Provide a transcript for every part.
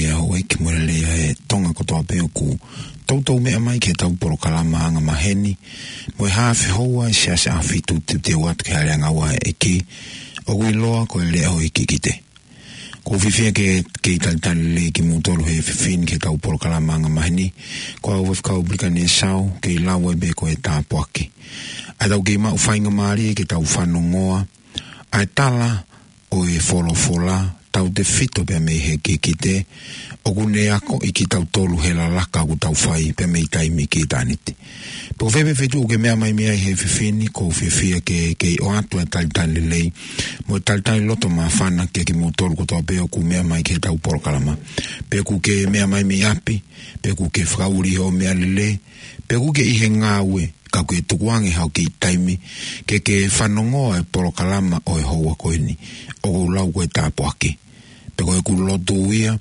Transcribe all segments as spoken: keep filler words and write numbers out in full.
Ia houʻeiki mo e lelei ʻa e Tonga kotoa pē ʻoku toutou meʻa mai ki heʻetau polokalama anga maheni, mo e haafe houa ʻi he Siasi ʻAhofitu, teuteu atu ki he aleaʻanga ua ʻa e ʻEiki, ʻoku ʻiloa ko e Leʻo ʻo e Kikite. ʻOku ou fiefia ke, ke talitali lelei kimoutolu he efiafi ni ki heʻetau polokalama anga maheni. Ko au Faifekau Pilikani Esau, kei lau ai pē ko e tāpuaki. ʻA ia tau kei maʻu faingamālie ke tau fanongoa ʻa e tala ʻo e folofola, tautefito pea mei he kikite, ʻoku ne akoʻi kitautolu he lalaka ʻoku tau fai pea mei taimi ki ʻitāniti. Pea ko fē pē feituʻu ʻoku ke meʻa mai mei ai he efiafi ni, ʻoku ou fiefia ke, ke ʻoatu e talitali lelei mo e talitali loto māfana kiate kimoutolu kotoa pē ʻoku meʻa mai ki heʻetau polokalama. Pe ʻoku ke meʻa mai mei ʻapi, pe ʻoku ke fakaʻuli hoʻo meʻalele, pe ʻoku ke ʻi he ngāue, ka ʻoku ke tukuange haʻo kiʻi taimi ke ke fanongoa e polokalama ʻo e houa ko eni, ʻoku ou lau ko e tāpuaki. Pea ko ʻeku lotu ia,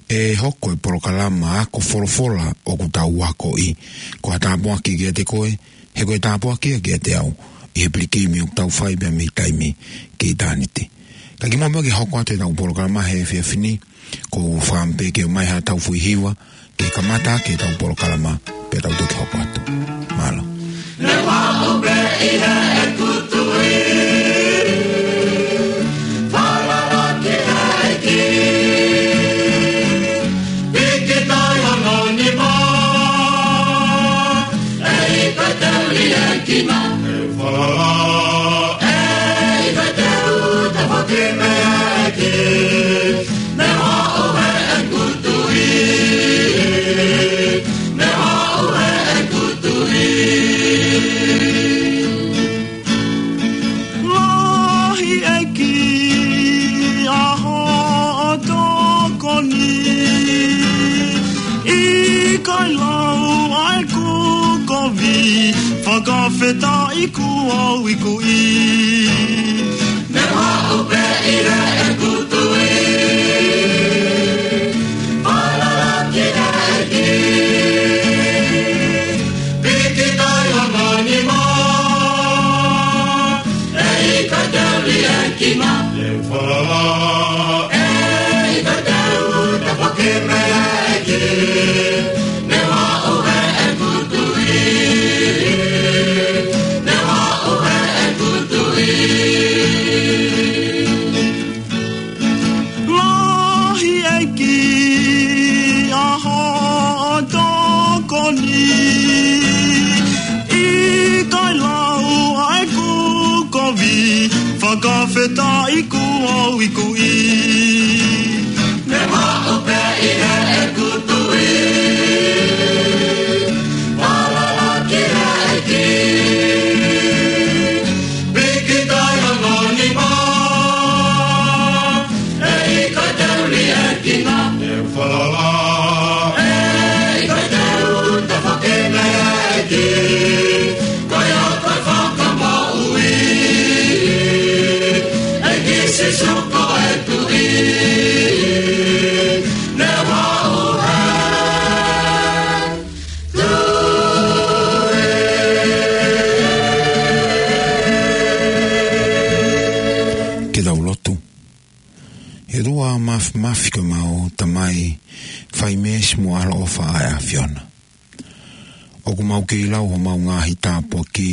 ʻe hoko e polokalama ako folofola ʻoku tau akoʻi ko ha tāpuaki kiate koe, he ko e tāpuaki ia kiate au, ʻi he pilikimi ʻoku tau fai pea mei taimi ki ʻitāniti. Ka kimuʻa pea ke hoko atu ʻetau polokalama he efiafi ni, ʻoku ou fakaʻamu pē ke ʻomai haʻatau foʻi hiva, ke kamata ʻaki ʻetau polokalama, pea tau toki hoko atu. Mālō. Ne vā ʻo pē ʻi heʻeku tui, falala ki he ʻEiki. Piki tai hono nima, ʻe ʻikai te u liʻekina. Falala, ʻe ʻikai te u tafoki mei he ʻEiki. Ne vā ʻo heʻeku tui, ne vā ʻo heʻeku tui. Lahi ʻEiki ʻa hoʻo tokoni, ʻikai lau ʻa ʻeku kovi, fakafetaʻi kuo u ikuʻi. Ne vā ʻo pē ʻi heʻeku tui, falala ki he ʻEiki. Piki tai hono nima, ʻe ʻikai te u liʻekina. Falala, ʻe ʻikai te u tafoki mei he ʻEiki. Ne vā ʻo heʻeku tui, ne vā ʻo heʻeku tui. Lahi ʻEiki ʻa hoʻo tokoni, ʻikai lau ʻa ʻeku kovi, fakafetaʻi kuo u ikuʻi. Ne vā ʻo pē ʻi heʻeku tui, falala ki he ʻEiki. Piki tai hono nima, ʻe ʻikai te u liʻekina. Falala, ʻe ʻikai te u tafoki mei he ʻEiki. Ko ia ko e Fakamoʻui, ʻEiki Sīsū ko e Tuʻi. Ne vā ʻo heʻeku tui. Ke tau lotu. ʻE ʻOtua Māfimafi, ko homau Tamai fai meesi mo ʻaloʻofa ʻa e ʻAfiona. ʻOku mau kei lau homau ngaahi tāpuaki,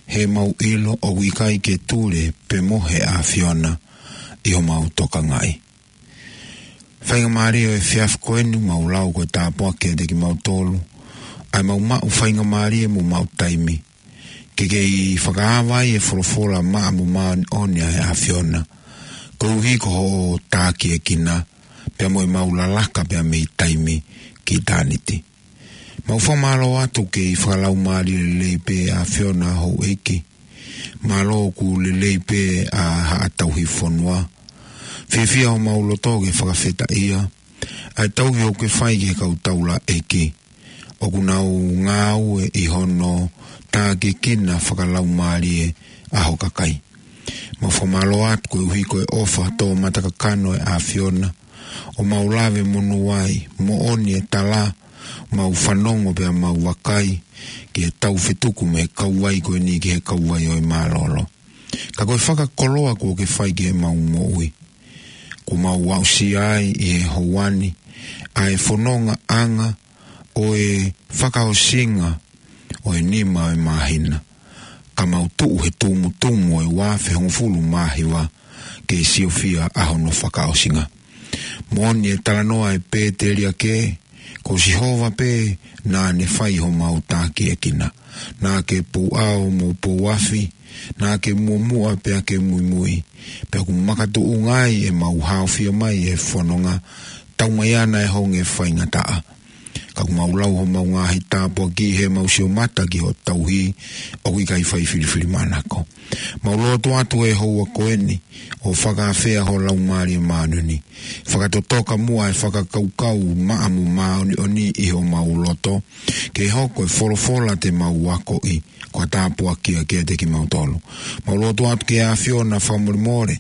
he mau ʻilo ʻoku ʻikai ke tule pe mohe ʻa e ʻAfiona ʻi homau tokangaʻi. Faingamālie ʻo e efiafi ko eni mau lau ko e tāpuaki kiate kimautolu, ʻa ia mau maʻu faingamālie mo maʻu taimi ke kei fakaava ai e folofola maʻa mo māʻoniʻoni ʻa e ʻAfiona, koeʻuhi ko hoʻo tākiekina, pea mo ʻemau lalaka pea mei taimi ki ʻitāniti. Mau fakamālō atu kei fakalaumālie lelei pē ʻa e ʻAfiona houʻeiki. Mālō ʻoku lelei pē ʻa haʻa tauhi fonua. Fiefia homau loto ke fakafetaʻia ʻa e tauhi ʻoku ke fai ki he kau taulaʻeiki ʻoku nau ngāue ʻi hono tākiekina fakalaumālie ʻa ho kakai. Mau fakamālō atu koeʻuhi ko e ʻofa tō matakakano ʻa e ʻAfiona, ʻo mau lave monū ai, moʻoni e tala, mau fanongo pea mau vakai ki he taufetuku mei he kauvai ko eni ki he kauvai ʻo e mālōlō. Ka ko e fakakoloa kuo ke fai ki heʻemau moʻui, kuo mau aʻusia ai ʻi he houa ni, ʻa e fonongaʻanga ʻo e fakaʻosinga ʻo e nima ʻo e māhina, ka mau tuʻu he tumutumu ʻo e ua afe hongofulu mā hiva ke siofia ʻa hono fakaʻosinga. Moʻoni e talanoa ʻa e pēteliake, ko Sihova pē naʻa ne fai homau takiekina. Naʻa ke pouʻao mo pouafi, naʻa ke muʻomuʻa pea ke muimui, pea ʻoku makatuʻunga ai ʻemau haofia mai e fononga, taumaiā naʻe honge faingataʻa. Ka ʻoku mau lau homau ngaahi tāpuaki heʻemau sio mata ki hoʻo tauhi, ʻoku ʻikai fai filifilimānako. Mau lotu atu he houa ko eni, ʻo fakaafeʻi ho Laumālie Māʻoniʻoni. Fakatotoka muʻa e fakakaukau maʻa mo māʻoniʻoni ʻi homau loto, ke hoko e folofola te mau akoʻi ko ha tāpuaki ia kiate kimautolu. Mau lotu atu ki he ʻAfiona fakamolemole,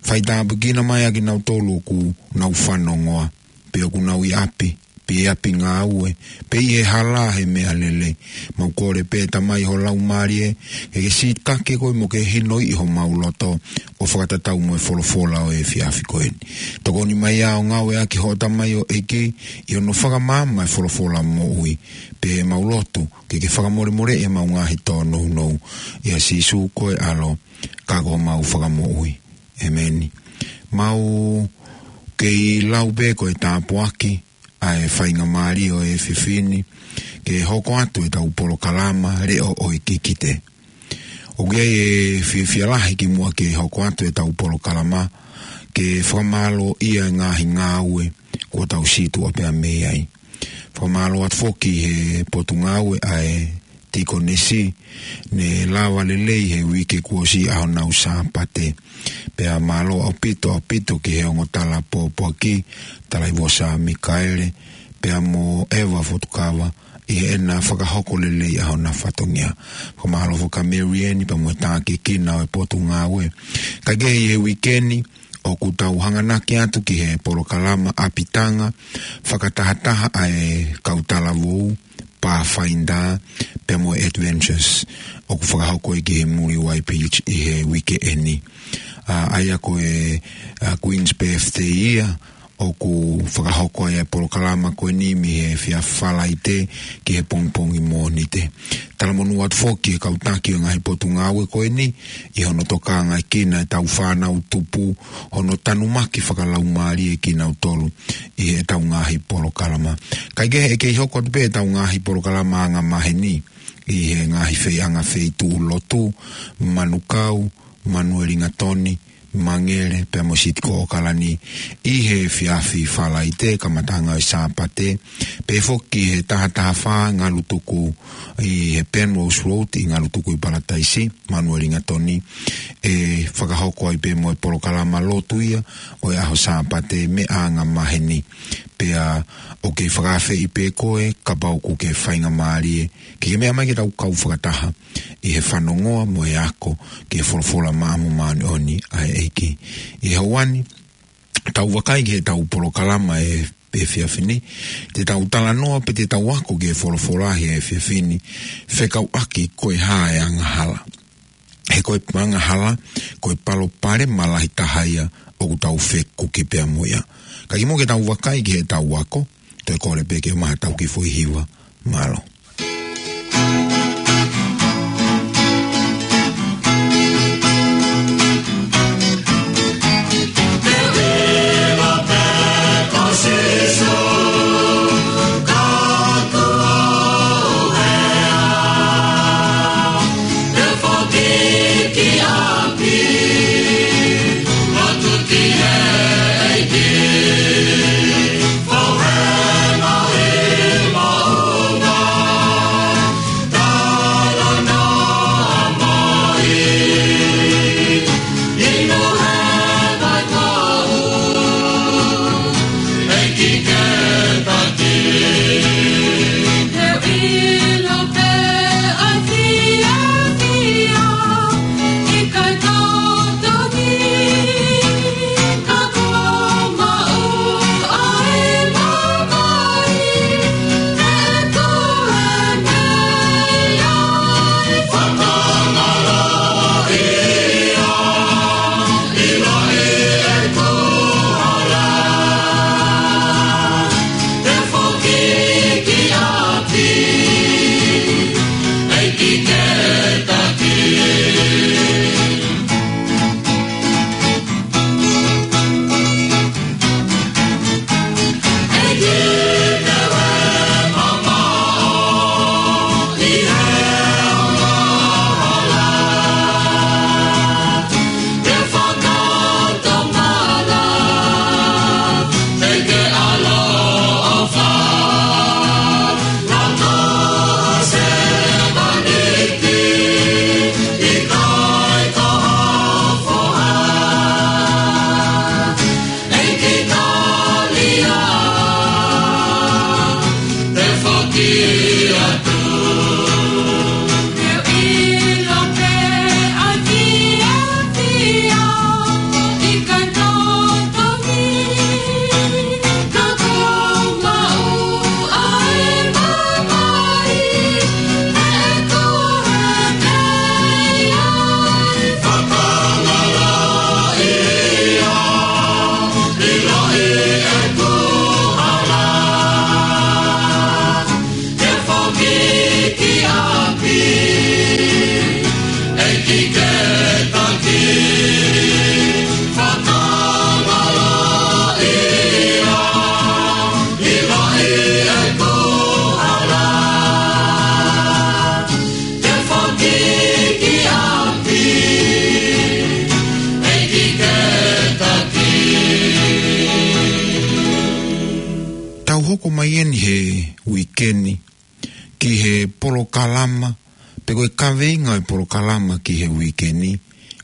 faitāpuekina mai ʻa kinautolu ʻoku nau fanongoa, pe ʻoku nau ʻi ʻapi, pe ʻi ʻapi ngāue, pe ʻi he hala he meʻalele. Mau kole pē Tamai ho Laumālie, ke ke sikake koe mo ke hinoʻi homau loto, ʻo fakatatau mo e folofola ʻo e efiafi ko eni. Tokoni mai ā ʻo ngāueʻaki hoʻo tamaioʻeiki, ʻi hono fakamaama e folofola moʻui, pea mau lotu, ke ke fakamolemoleʻi ʻemau ngaahi tōnounou, ʻia Sīsū ko e ʻAlo, ka ko homau Fakamoʻui. ʻEmeni. Mau kei lau pē ko e tāpuaki ʻa e faingamālie ʻo e efiafi ni, ke hoko atu ʻetau polokalama Leʻo ʻo e Kikite. ʻOku ʻi ai e fiefia lahi kimuʻa ke hoko atu ʻetau polokalama, ke fakamālōʻia e ngaahi ngāue kuo tau sītuʻa pea mei ai. Fakamālō atu foki he potungāue ʻa e Tikonesi, ne lava lelei he uike kuo ʻosi ʻa honau Sāpate. Pea mālō ʻaupito, ʻaupito ki he ongo tala pōpoaki, Talaivosa Mikaele, pea mo ʻEva Fotukava, ʻi heʻena fakahoko lelei ʻa hona fatongia. Fakamālō foki kia Mary Ann, pea mo e takiekina ʻo e potungāue. Kae kehe ʻi he uike ni, ʻoku tau hanganaki atu ki he polokalama ʻapitanga, fakatahataha ʻa e kau talavou, Pathfinder, pea mo e Adventures, ʻoku fakahoko ia ki he Muli White Beach ʻi he uike eni. ʻA, ʻa ia ko e, ʻa, Queen's Birthday ia, ʻoku fakahoko ai e polokalama ko eni mei he efiafi Falaite ki he pongipongi Mōnite. Talamonū atu foki ki he kau taki ʻo e ngaahi potungāue ko eni, ʻi hono tokangaʻekina ʻetau fānau tupu, hono tanumaki fakalaumālie kinautolu ʻi heʻetau ngaahi polokalama. Kae kehe ʻe kei hoko atu pē ʻetau ngaahi polokalama angamaheni, ʻi he ngaahi feiʻanga feituʻu lotu, Manukau, Manuelingatoni, Mangere, pea mo Siti ko ʻOkalani, ʻi he efiafi Falaite, kamataʻanga ʻo e Sāpate, pea foki he taha taha fā Ngalutuku ʻi he Penrose Road ʻi Ngalutuku ʻi Palataisi, Manuelingatoni, ʻe fakahoko ai pē mo e polokalama lotu ia ʻo e ʻaho Sāpate meʻa angamaheni. Pea ʻoku kei fakaafeʻi pē koe, kapau ʻoku ke faingamālie, ke ke meʻa mai ke tau kau fakataha ʻi he fanongoa mo e ako ki he folofola maʻa mo māʻoniʻoni ʻa e ʻEiki. ʻI he houa ni, tau vakai ki heʻetau polokalama ʻo e efiafi ni, te tau talanoa pe te tau ako ki he folofola he efiafi ni, fekauʻaki ko e hā e angahala. He ko e angahala, ko e palopalema lahi taha ia ʻoku tau fekuki pea mo ia. Ka kimuʻa ke tau vakai ki heʻetau ako, toe kole pē ke maʻu haʻatau kiʻi foʻi hiva. Mālō. Tau hoko mai eni he uike ni ki he polokalama, pe ko e kaveinga ʻo e polokalama ki he uike ni,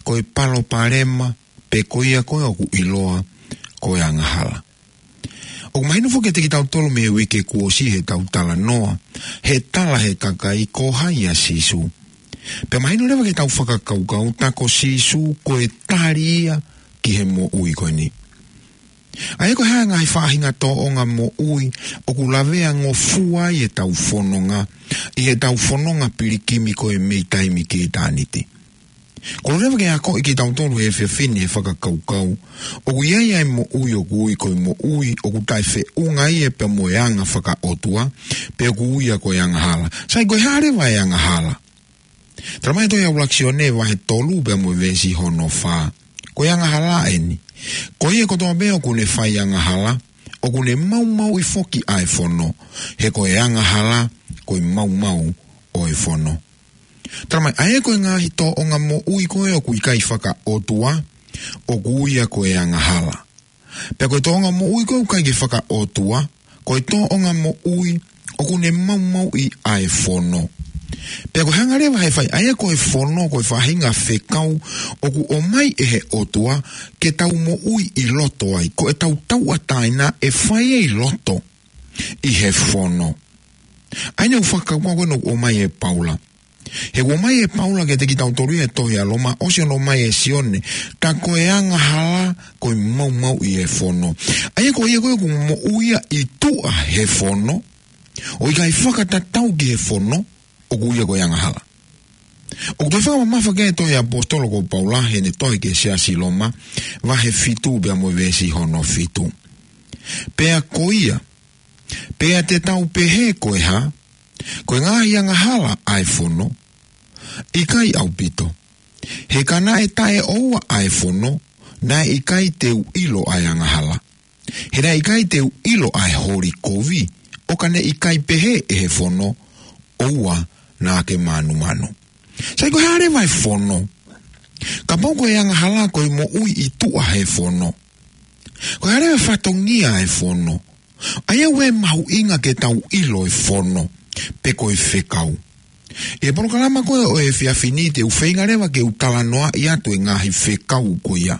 ko e palopalema, pe ko ia ko ē ʻoku ʻiloa ko e angahala. ʻOku mahino foki kiate kitautolu mei he uike kuo ʻosi heʻetau talanoa, he tala ʻe he kakai ko hai ʻa Sīsū. Pea mahino leva ke tau fakakaukau tā ko Sīsū ko e tali ia ki he moʻui ko eni. ʻA ia ko e hā e ngaahi faʻahinga tōʻonga moʻui ʻoku lavea ngofua ai ʻetau fononga, ʻi heʻetau fononga pilikimi ko ē mei taimi ki ʻitāniti. Kole leva ke akoʻi kitautolu he efiafi ni he fakakaukau ʻoku ʻi ai ʻa e moʻui ʻoku ui ko e moʻui ʻoku taʻefeʻunga ia pea mo e anga fakaʻotua, pe ʻoku ui ia ko e angahala. Sai, ko e hā leva e angahala? Tala mai ʻe he tohi ʻa ʻUluaki Sione vahe tolu pea mo e veesi hono fā. Ko e angahala eni. Ko ia kotoa pē ʻoku ne fai angahala, ʻoku ne maumauʻi foki ʻa e fono, he ko e angahala ko e maumau ʻo e fono. Tala mai, ʻa ia ko e ngaahi tōʻonga moʻui ko ē ʻoku ʻikai fakaʻotua, ʻoku ui ia ko e angahala. Pea ko e tōʻonga moʻui ko ē ʻoku ʻikai ke fakaʻotua, ko e tōʻonga moʻui ʻoku ne maumauʻi ʻa e fono. Pea ko e hanga leva he fai, ʻa ia ko e fono, ko e faʻahinga fekau ʻoku ʻomai ʻe he ʻOtua ke tau moʻui ʻi loto ai, ko ʻetau tauʻatāina ʻe fai ʻi loto ʻi he fono. ʻA ia ʻoku fakakaukau ko ē ʻoku ʻomai ʻe Paula. He ʻoku ʻomai ʻe Paula kiate kitautolu ia he tohi ʻa Loma, ʻosi hono ʻomai ʻe Sione, tā ko e angahala ko e maumauʻi e fono. ʻA ia ko ia ko ē ʻoku moʻui ia ʻi tuʻa he fono, ʻo ʻikai fakatatau ki he fono, ʻoku ui ia ko e angahala. ʻOku toe fakamamafa ki ai e tohi ʻa e ʻaposetolo ko Paula heʻene tohi ki he siasi Loma, vahe fitu pea mo e veesi hono fitu. Pea ko ia, pea te tau pehē ko e hā? Ko e ngaahi angahala ʻa e fono? ʻIkai ʻaupito. He ka naʻe taʻeʻoua ʻa e fono, naʻe ʻikai te u ʻilo ʻa e angahala. He naʻe ʻikai te u ʻilo ʻa e holi kovi, ʻo ka ne ʻikai pehē ʻe he fono, ʻoua naʻa ke mānumanu. Sai, ko e hā leva e fono? Kapau ko e angahala ko e moʻui ʻi tuʻa he fono, ko e hā leva e fatongia e fono? ʻA ia ʻoku mahuʻinga ke tau ʻilo e fono, pe ko e fekau. ʻI he polokalama ko ē ʻo e efiafi ni te u feinga leva ke u talanoaʻi atu e ngaahi fekau ko ia.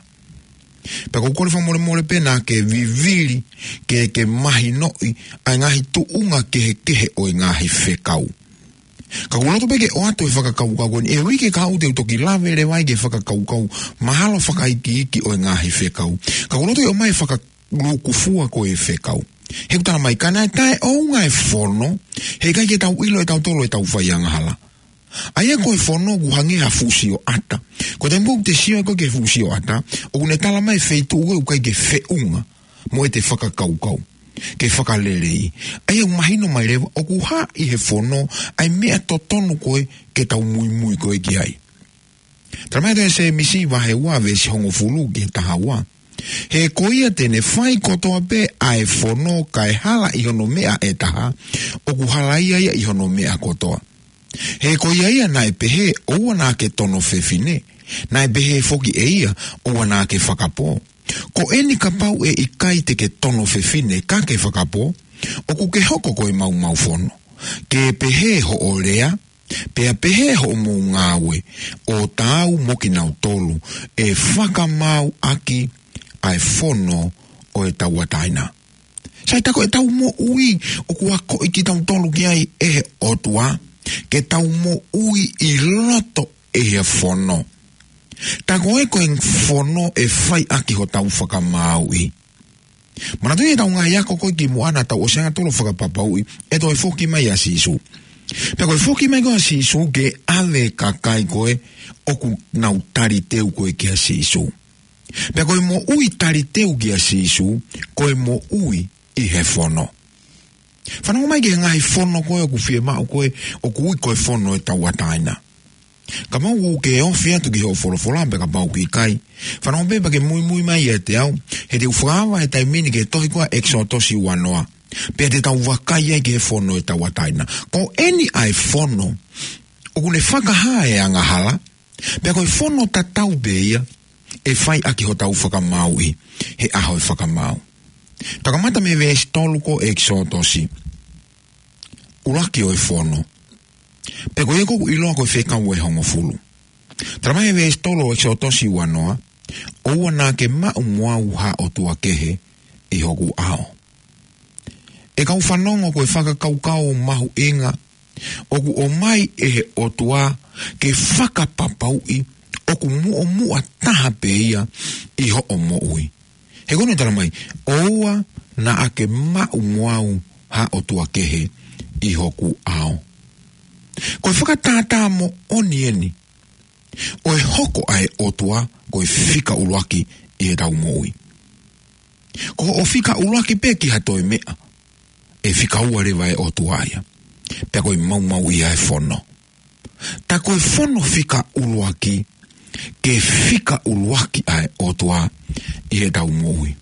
Pea ʻoku ou kole fakamolemole pē naʻa ke vivili ke ke mahinoʻi ʻa e ngaahi tuʻunga kehekehe ʻo e ngaahi fekau. Ka ʻoku ou loto pē ke ʻoatu e fakakaukau ko eni, he uike kahaʻu te u toki lave leva ai ki he fakakaukau mahalo fakaikiiki ʻo e ngaahi fekau. Ka ʻoku ou loto ke ʻomai e fakalūkufua ko ē e fekau. He ʻoku tala mai, ka naʻe taʻeʻounga e fono, he ʻikai ke tau ʻilo ʻe tautolu ʻetau fai angahala. ʻA ia ko e fono ʻoku hangē ha fuʻu sioʻata. Ko e taimi ko ē ʻoku te sio ai ko ē ki he fuʻu sioʻata, ʻoku ne tala mai e feituʻu ko ē ʻoku ʻikai ke feʻunga mo ʻete fakakaukau, ke fakaleleiʻi. ʻA ia ʻoku mahino mai leva ʻoku hā ʻi he fono ʻa e meʻa totonu ko ē ke tau muimui ko ē ki ai. Tala mai ʻe he tohi ʻa Sēmisi vahe ua veesi hongofulu ki he taha ua. He ko ia te ne fai kotoa pē ʻa e fono kae hala ʻi hono meʻa ʻe taha, ʻoku halaia ia ʻi hono meʻa kotoa. He ko ia ia naʻe pehē ʻoua naʻa ke tono fefine, naʻe pehē foki ʻe ia ʻoua naʻa ke fakapō. Ko eni kapau ʻe ʻikai te ke tono fefine ka ke fakapō, ʻoku ke hoko ko e maumau fono. Ke pehē hoʻo lea, pea pehē hoʻomou ngāue, ʻo taau mo kinautolu ʻe fakamaau ʻaki ʻa e fono ʻo e tauʻatāina. Sai, tā ko ʻetau moʻui ʻoku akoʻi kitautolu ki ai ʻe he ʻOtua, ke tau moʻui ʻi loto ʻi he fono. Tā ko e ko e fono ʻe fai ʻaki hotau fakamaauʻi. Manatuʻi ʻetau ngaahi ako ko ē kimuʻa naʻa tau ʻosi angatonu ʻo fakapapauʻi ʻe toe foki mai ʻa Sīsū. Pea ko e foki mai ko ē ʻa Sīsū ke ʻave e kakai ko ē ʻoku nau taliteu ko ē kia Sīsū. Pea ko e moʻui taliteu kia Sīsū, ko e moʻui ʻi he fono. Fanongo mai ki he ngaahi fono ko ē ʻoku fiemaʻu ko ē, ʻoku ui ko e fono ʻo e tauʻatāina. Kapau ʻoku ke ofi atu ki hoʻo folofola, pea kapau ʻoku ʻikai, fanongo pē pea ke muimui mai ʻiate au, he te u fakaava he taimi ni ki he tohi ko ē ʻa ʻEkisotosi uanoa. Pea te tau vakai ai ki he fono ʻo e tauʻatāina. Ko eni ʻa e fono ʻoku ne fakahā e angahala, pea ko e fono tatau pē ia ʻe fai ʻaki hotau fakamaauʻi he ʻaho ʻe fakamaau. Tau kamata mei he veesi tolu ko ē ʻEkisotosi. ʻUluaki ʻo e fono. Pea ko ia ʻoku ʻiloa ko e fekau ʻe hongofulu. Tala mai he veesi tolu ʻo ʻEkisotosi uanoa, ʻoua naʻa ke maʻu mo au ha ʻotua kehe ʻi hoku ʻao. ʻE kau fanongo, ko e fakakaukau mahuʻinga ʻoku ʻomai ʻe he ʻOtua ke fakapapauʻi ʻoku muʻomuʻa taha pē ia ʻi hoʻo moʻui. He ko eni ʻoku tala mai, ʻoua naʻa ke maʻu mo au ha ʻotua kehe ʻi hoku ʻao. Ko e fakatātā moʻoni eni ʻo e hoko ʻa e ʻOtua ko e fika ʻuluaki ʻi heʻetau moʻui. Ko hoʻo fika ʻuluaki pē ki ha toe meʻa, ʻe fika ua leva e ʻOtua ia. Pea ko e maumauʻi ʻa e fono. Tā ko e fono fika ʻuluaki, ke fika ʻuluaki ʻa e ʻOtua ʻi heʻetau moʻui.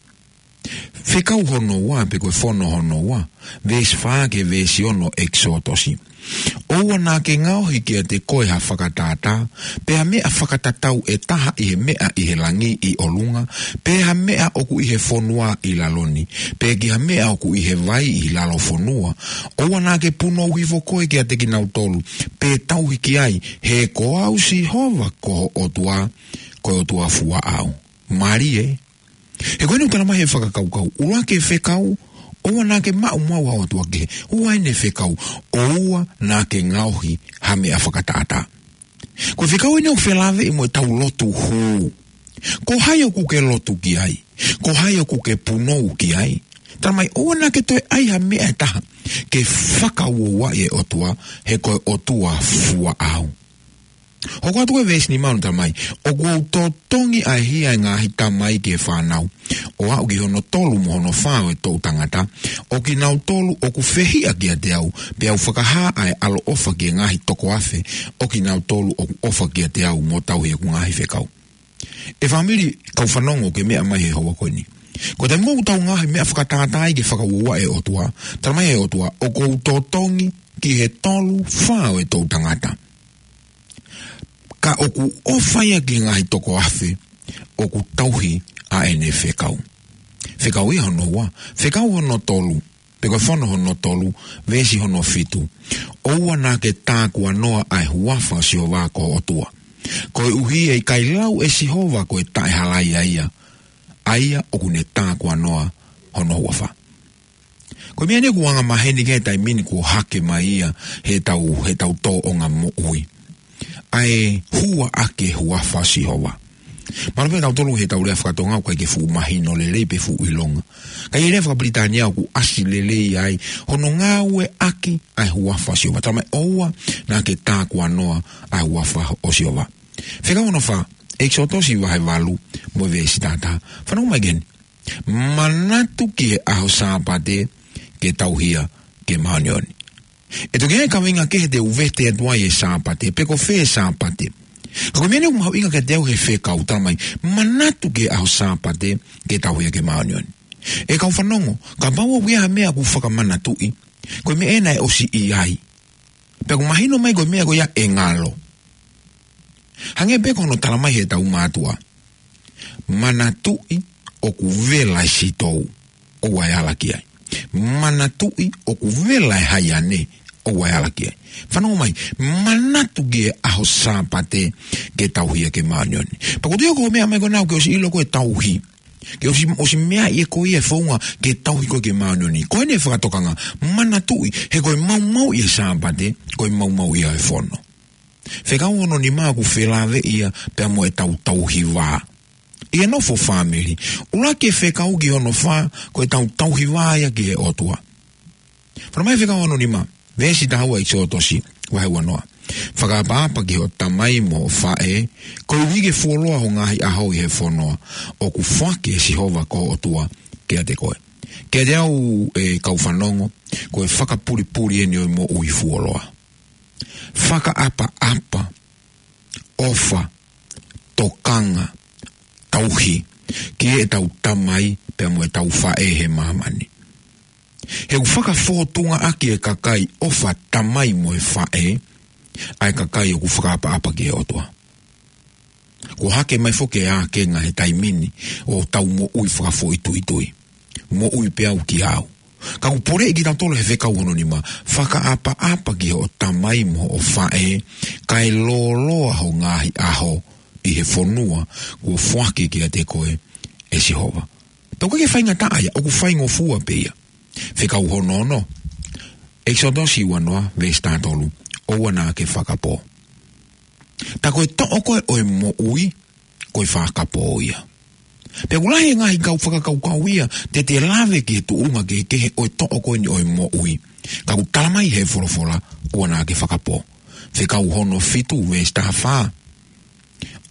Fekau hono ua, pe ko e fono hono ua, veesi fā ki he veesi ono ʻEkisotosi. ʻOua naʻa ke ngaohi kiate koe ha fakatātā, pe ha meʻa fakatatau ʻe taha ʻi he meʻa ʻi he langi ʻi ʻolunga, pe ha meʻa ʻoku ʻi he fonua ʻi lalo ni, pe ki ha meʻa ʻoku ʻi he vai ʻi lalo fonua. ʻOua naʻa ke punou hifo koe kiate kinautolu, pe tauhi ki ai, he ko au Sihova ko ho ʻOtua, ko e ʻOtua fua ʻau. Mālie. He ko eni ʻoku tala mai he fakakaukau, ʻuluaki e fekau, ʻoua naʻa ke maʻu mo au ha ʻotua kehe. Ua eni e fekau, ʻoua naʻa ke ngaohi ha meʻa fakatātā. Ko e fekau eni ʻoku felāveʻi mo ʻetau lotu hū. Ko hai ʻoku ke lotu ki ai? Ko hai ʻoku ke punou ki ai? Tala mai, ʻoua naʻa ke toe ʻai ha meʻa ʻe taha ke fakauouaʻi e ʻOtua, he ko e ʻOtua fua ʻau. Hoko atu ko e veesi nima ʻoku tala mai, ʻoku ou totongi ʻa e hia ʻa e ngaahi tamai ki he fānau, ʻo aʻu ki hono tolu mo hono fā ʻo e toʻu tangata, ʻo kinautolu ʻoku fehiʻa kiate au, pea u fakahā ʻa e ʻaloʻofa ki he ngaahi toko afe ʻo kinautolu ʻoku ʻofa kiate au mo tauhi ʻeku ngaahi fekau. ʻE fāmili, kau fanongo ki he meʻa mai he houa ko eni. Ko e taimi ʻoku tau ngaohi meʻa fakatātā ai ke fakauouaʻi e ʻOtua, tala mai e ʻOtua, ʻoku ou totongi ki he tolu fā ʻo e toʻu tangata. Ka ʻoku ʻofa ia ki he ngaahi toko afe ʻoku tauhi ʻa ʻene fekau. Fekau ia hono ua, fekau hono tolu, pe ko e fono hono tolu, veesi hono fitu. ʻOua naʻa ke tākuanoa ʻa e huafa ʻo Sihova ko ho ʻOtua. Koeʻuhi ʻe ʻikai lau ʻe Sihova ko e taʻehalaia ia, ʻa ia ʻoku ne tākuanoa hono huafa. Ko e meʻa eni ʻoku angamaheni ki ai he taimi ni kuo hake mai ia heʻetau, heʻetau tōʻonga moʻui. ʻA e hua ʻaki e huafa ʻo Sihova. Mahalo pē ʻe tautolu heʻetau lea faka-Tonga ʻoku ʻikai ke fuʻu mahino lelei pe fuʻu ʻilonga. Ka ʻi he lea faka-Pilitānia ʻoku ʻasi lelei ai hono ngāueʻaki ʻa e huafa ʻo Sihova. Tala mai ʻoua naʻa ke tākuanoa ʻa e huafa ʻo Sihova. Fekau hono fā, ʻEkisotosi vahe valu mo e veesi taha taha. Fanongo mai ki heni. Manatu ki he ʻaho Sāpate ke tauhi ia ke māʻoniʻoni. ʻE toki ʻi ai e kaveinga kehe te u vete atu ai e Sāpate, pe ko fē Sāpate. Ka ko e meʻa ʻoku mahuʻinga kiate au he fekau, talamai, manatu ki he ʻaho Sāpate ke tauhi ʻaki e māʻoniʻoni. ʻE kau fanongo, kapau ʻoku ʻi ai ha meʻa ʻoku fakamanatuʻi, ko e meʻa ena ʻe ʻosi ʻi ai. Pea ʻoku mahino mai ko e meʻa ko ia ʻe ngalo. Hangē pē ko hono talamai heʻetau mātuʻa. Manatuʻi ʻoku vela e sitou, ʻoua ʻe ala ki ai. Manatuʻi ʻoku vela e haiane, ʻoua ʻe ala ki ai. Fanongo mai, manatu ki he ʻaho Sāpate ke tauhi ʻaki e māʻoniʻoni. Pea ko e toe ko e meʻa mai ko ena ʻoku ke ʻosi ʻilo ko e tauhi. Ke ʻosi, ʻosi meaʻi ʻe koe ia e founga ke tauhi koe ki he māʻoniʻoni. Ko eni e fakatokanga, manatuʻi, he ko e maumauʻi e Sāpate, ko e maumauʻi ia e fono. Fekau hono nima ʻoku felāveʻi ia pea mo ʻetau tauhi vā. ʻI he nofo fāmili. ʻUluaki e fekau ki hono fā, ko ʻetau tauhi vā ia ki he ʻOtua. Fana mai fekau hono nima, veesi taha ua ʻEkisoto vahe ua noa. Fakaʻapaʻapa ki hoʻo tamai mo hoʻo faʻē, koeʻuhi ke fuoloa ho ngaahi ʻaho ʻi he fono ʻoku foaki ʻe Sihova ko ho ʻOtua kiate koe. Kiate au ʻe kau fanongo, ko e fakapulipuli eni ʻo e moʻui fuoloa. Fakaʻapaʻapa, ʻofa, tokanga, tauhi, ki heʻetau tamai pea mo ʻetau faʻē he māmani. He ʻoku fakafōtunga ʻaki e kakai ʻofa tamai mo e faʻē, ʻa e kakai ʻoku fakaʻapaʻapa ki he ʻOtua. Kuo hake mai foki e ākenga he taimi ni ʻo ʻetau moʻui fakafoʻituitui. Moʻui pē au kia au. Ka ʻoku poleʻi kitautolu he fekau hono nima, fakaʻapaʻapa ki hoʻo tamai mo hoʻo faʻē, kae lōloa ho ngaahi ʻaho ʻi he fonua kuo foaki kiate koe ʻe Sihova. Tau ke faingataʻa ia, ʻoku faingofua pē ia. Fekau hono ono. ʻEkisoto ua noa, veesi taha tolu. ʻOua naʻa ke fakapō. Tā ko e toʻo ko ē ʻo e moʻui, ko e fakapō ia. Pea ʻoku lahi e ngaahi kau fakakaukau ia, te te lave ki he tuʻunga kehekehe ʻo e toʻo ko eni ʻo e moʻui. Ka ʻoku talamai he folofola, ʻoua naʻa ke fakapō. Fekau hono fitu, veesi taha fā.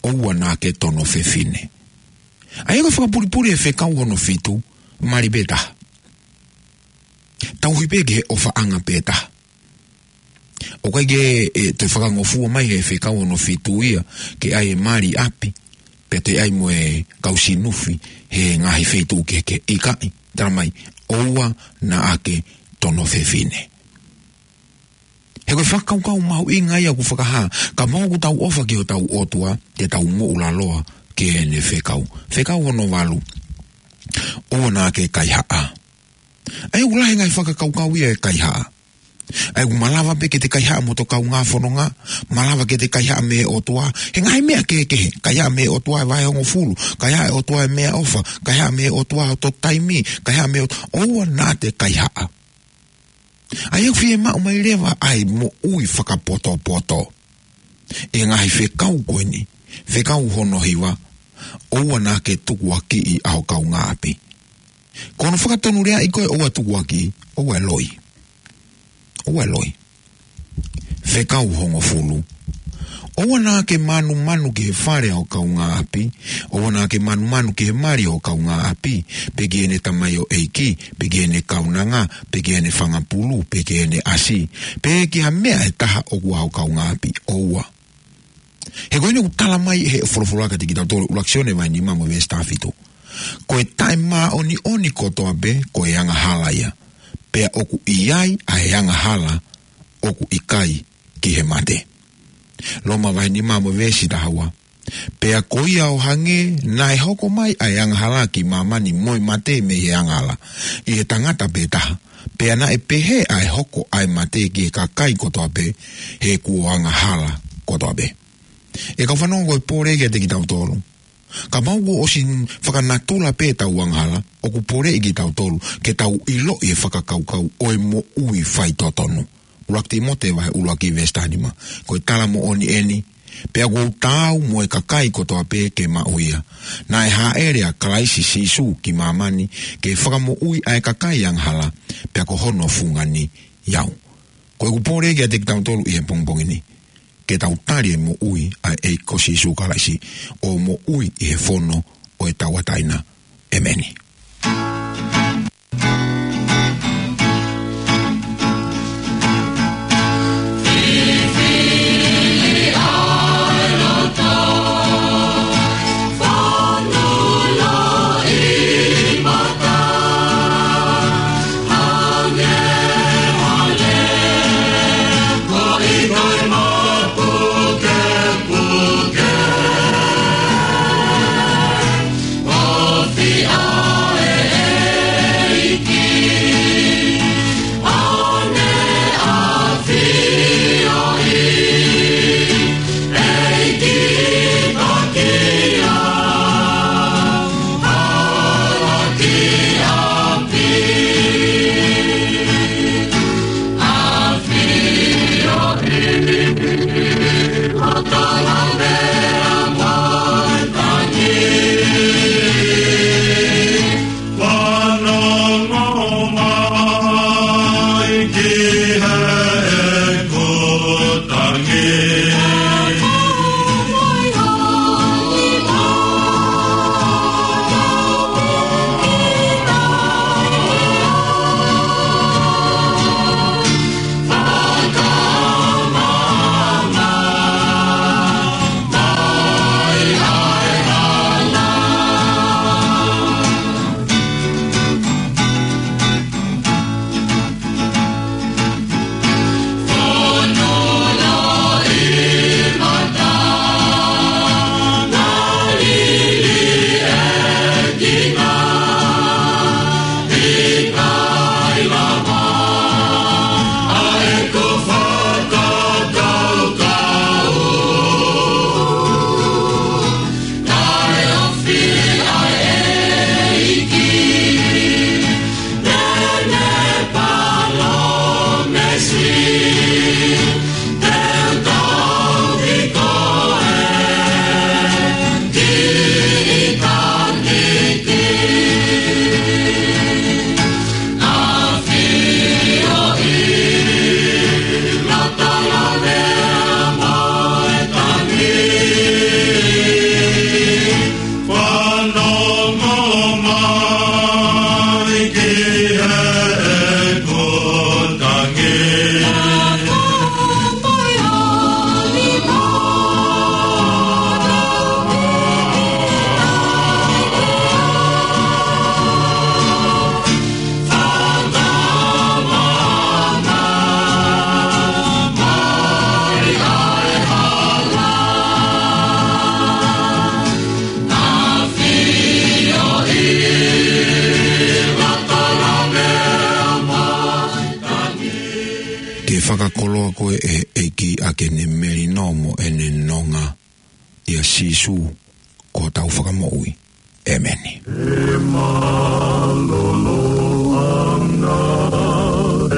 ʻOua naʻa ke tono fefine. ʻA ia ko e fakapulipuli he fekau hono fitu, mali pē taha. Tauhi pē ki he ʻofaʻanga pē taha. ʻOku ʻikai ke, ʻe, toe fakangofua mai he fekau hono fitu ia, ke ʻai e mali ʻapi, pea toe ʻai mo e kau sinufi, he ngaahi feituʻu kehekehe, ʻikai, talamai, ʻoua naʻa ke tono fefine. He ko e fakakaukau mahuʻinga ia ʻoku fakahā, kapau ʻoku tau ʻofa ki hotau ʻOtua, te tau moʻulaloa ki heʻene fekau. Fekau hono valu. ʻOua naʻa ke kaihaʻa. ʻA ia ʻoku lahi e ngaahi fakakaukau ia e kaihaʻa. ʻA ia ʻoku malava pē ke te kaihaʻa mo hoto kaungā fononga, malava ke te kaihaʻa mei he ʻOtua, he ngaahi meʻa kehekehe, kaihaʻa mei he ʻOtua e vahe hongofulu, kaihaʻa e ʻOtua e meʻaʻofa, kaihaʻa mei he ʻOtua hoto taimi, kaihaʻa mei he ʻOtua, ʻoua naʻa te kaihaʻa. ʻA ia ʻoku fiemaʻu mai leva ʻa e moʻui fakapotopoto. ʻI he ngaahi fekau ko eni, fekau hono hiva, ʻoua naʻa ke tukuakiʻi ʻa ho kaungāʻapi. Ko hono fakatonuleaʻi ko e ʻoua tukuakiʻi, ʻoua ʻe loi. ʻOua ʻe loi. Fekau hongofulu. ʻOua naʻa ke manumanu ki he fale ʻo ho kaungāʻapi, ʻoua naʻa ke manumanu ki he mali ʻo ho kaungāʻapi, pe ki heʻene tamaioʻeiki, pe ki heʻene kaunanga, pe ki heʻene fanga pulu, pe ki heʻene ʻasi, pe ki ha meʻa ʻe taha ʻoku ʻa ho kaungāʻapi, ʻoua. He ko eni ʻoku talamai he folofola kiate kitautolu, ʻuluaki Sione vahe nima mo e veesi taha fitu. Ko e taʻemāʻoniʻoni kotoa pē, ko e angahala ia. Pea ʻoku ʻi ai ʻa e angahala ʻoku ʻikai ki he mate. Loma vahe nima mo e veesi taha ua. Pea ko ia ʻo hangē naʻe hoko mai ʻa e angahala ki māmani mo e mate mei he angahala ʻi he tangata pē taha. Pea naʻe pehē ʻa e hoko ʻa e mate ki he kakai kotoa pē, he kuo angahala kotoa pē. ʻE kau fanongo, ko e pole kiate kitautolu. Kapau kuo ʻosi fakanatula pē ʻetau angahala, ʻoku poleʻi kitautolu ke tau ʻiloʻi e fakakaukau ʻo e moʻui faitotonu. ʻUluaki Tīmote vahe ʻuluaki veesi taha nima. Ko e tala moʻoni eni, pea ʻoku ou taau mo e kakai kotoa pē ke maʻu ia. Naʻe hāʻele ʻa Kalaisi Sīsū ki māmani ke fakamoʻui ʻa e kakai angahala, pea ko hono fungani au. Ko ʻeku pole kiate kitautolu ʻi he pongipongi ni, ke tau tali e moʻui ʻa e ʻEiki ko Sīsū Kalaisi, ʻo moʻui ʻi he fono ʻo e tauʻatāina. ʻEmeni. Ke fakakoloa koe ʻe he ʻEiki ʻaki ʻene melino mo ʻene nonga, ʻia Sīsū ko hotau Fakamoʻui. ʻĒmeni. ʻE mālōlō ʻa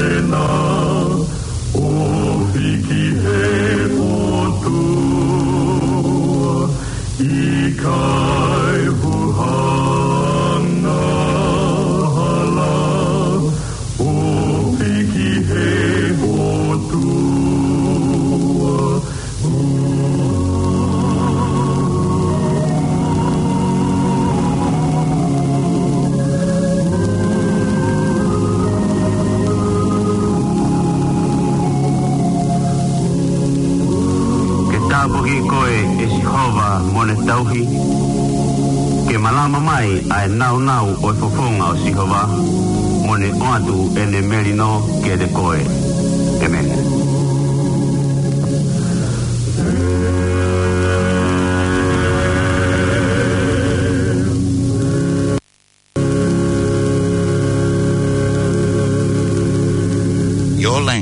e ʻOtua, ʻo fiki he ʻOtua, ʻikai huhanga hala, ʻo fiki he ʻOtua. Ke tāpuaki koe, ʻe Sihova, mo ne tauhi. Ke malama mai ʻa e nāunau ʻo e fofonga ʻo Sihova, mo ne ʻoatu ʻene melino kiate koe. ʻĒmeni. Your language.